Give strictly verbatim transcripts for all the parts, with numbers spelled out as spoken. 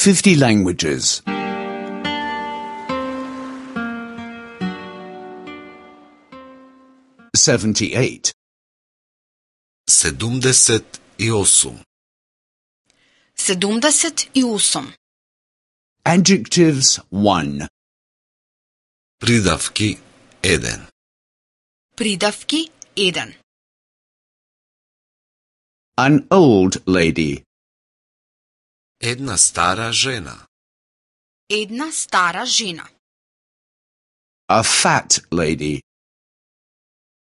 fifty languages. seventy-eight. седумдесет и осум. седумдесет и осум. Adjectives one. Придавки еден. Придавки еден. An old lady. Една стара жена. Една стара жена. A fat lady.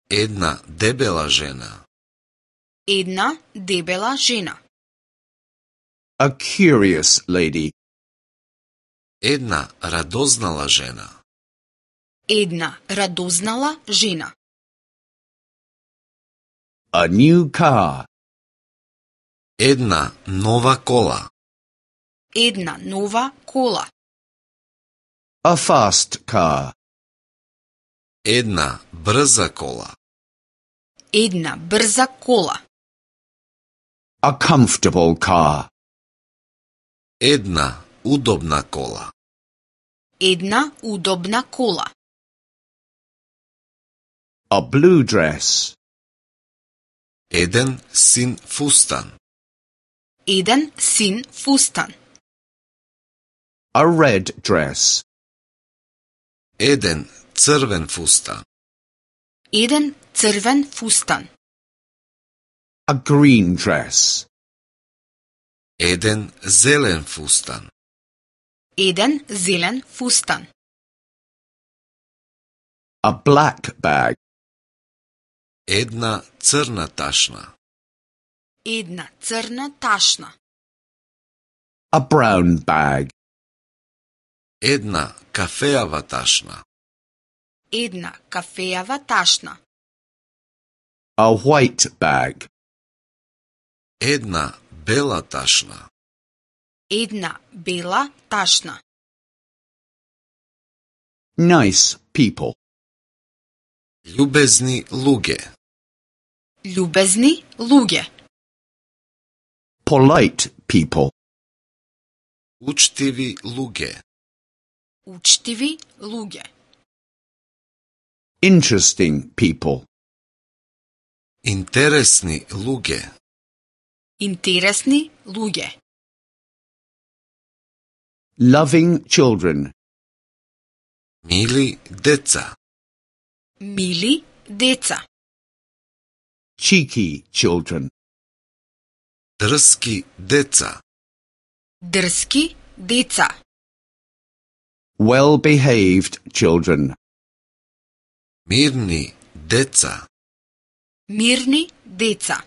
Една дебела жена. Една дебела жена. A curious lady. Една радознала жена. Една радознала жена. A new car. Една нова кола. Една нова кола. A fast car. Една брза кола. Една брза кола. A comfortable car. Една удобна кола. Една удобна кола. A blue dress. Еден син фустан. Еден син фустан. A red dress. Еден црвен фустан. Еден црвен фустан. A green dress. Еден зелен фустан. Еден зелен фустан. A black bag. Една црна ташна. Една црна ташна. A brown bag. Една кафеава ташна. Една кафеава ташна. A white bag. Една бела ташна. Една бела ташна. Nice people. Љубезни луѓе. Љубезни луѓе. Polite people. Учтиви луѓе. Учтиви луѓе. Interesting people. Интересни луѓе. Интересни луѓе. Loving children. Мили деца. Мили деца. Cheeky children. Дрски деца. Дрски деца. Well-behaved children. Мирни деца. Мирни деца.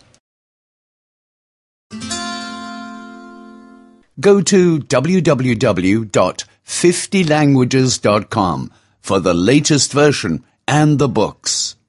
Go to w w w dot fifty languages dot com for the latest version and the books.